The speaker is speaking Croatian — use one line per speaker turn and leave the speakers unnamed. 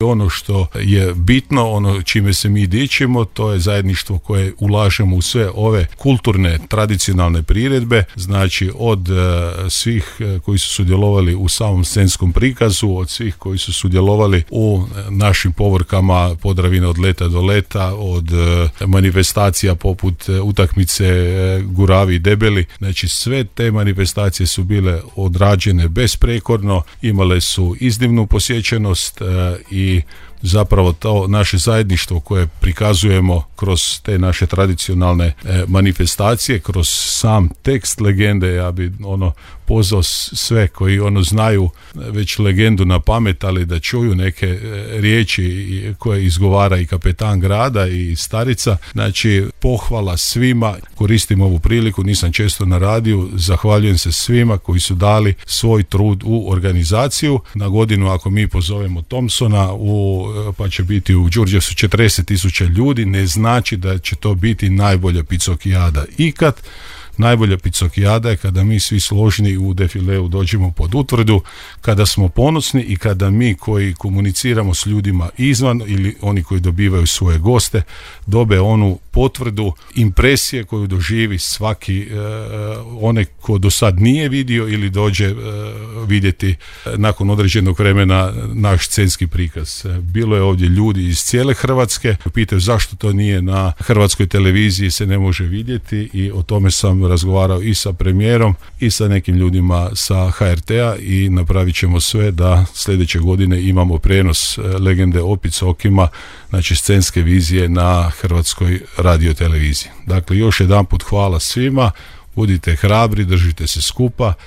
Ono što je bitno, ono čime se mi dičimo, to je zajedništvo koje ulažemo u sve ove kulturne, tradicionalne priredbe, znači od svih koji su sudjelovali u samom scenskom prikazu, od svih koji su sudjelovali u našim povorkama Podravine od leta do leta, od manifestacija poput utakmice Guravi i Debeli, znači sve te manifestacije su bile odrađene besprekorno, imale su iznimnu posjećenost i zapravo to naše zajedništvo koje prikazujemo kroz te naše tradicionalne manifestacije, kroz sam tekst legende, ja bi pozvao sve koji znaju već legendu na pamet, ali da čuju neke riječi koje izgovara i kapetan grada i starica. Znači, pohvala svima, koristim ovu priliku, nisam često na radiju, zahvaljujem se svima koji su dali svoj trud u organizaciju. Na godinu, ako mi pozovemo Thompsona, pa će biti u Đurđevcu 40.000 ljudi, ne znači da će to biti najbolja picokijada ikad. Najbolja picokijada je kada mi svi složni u defileu dođemo pod utvrdu, kada smo ponosni i kada mi koji komuniciramo s ljudima izvan ili oni koji dobivaju svoje goste dobe onu potvrdu impresije koju doživi svaki onaj ko do sad nije vidio ili dođe vidjeti nakon određenog vremena naš scenski prikaz. Bilo je ovdje ljudi iz cijele Hrvatske, pitaju zašto to nije na hrvatskoj televiziji, se ne može vidjeti, i o tome sam razgovarao i sa premijerom i sa nekim ljudima sa HRT-a i napravit ćemo sve da sljedeće godine imamo prenos legende o Picokima, znači scenske vizije na Hrvatskoj radioteleviziji. Dakle, još jedanput hvala svima, budite hrabri, držite se skupa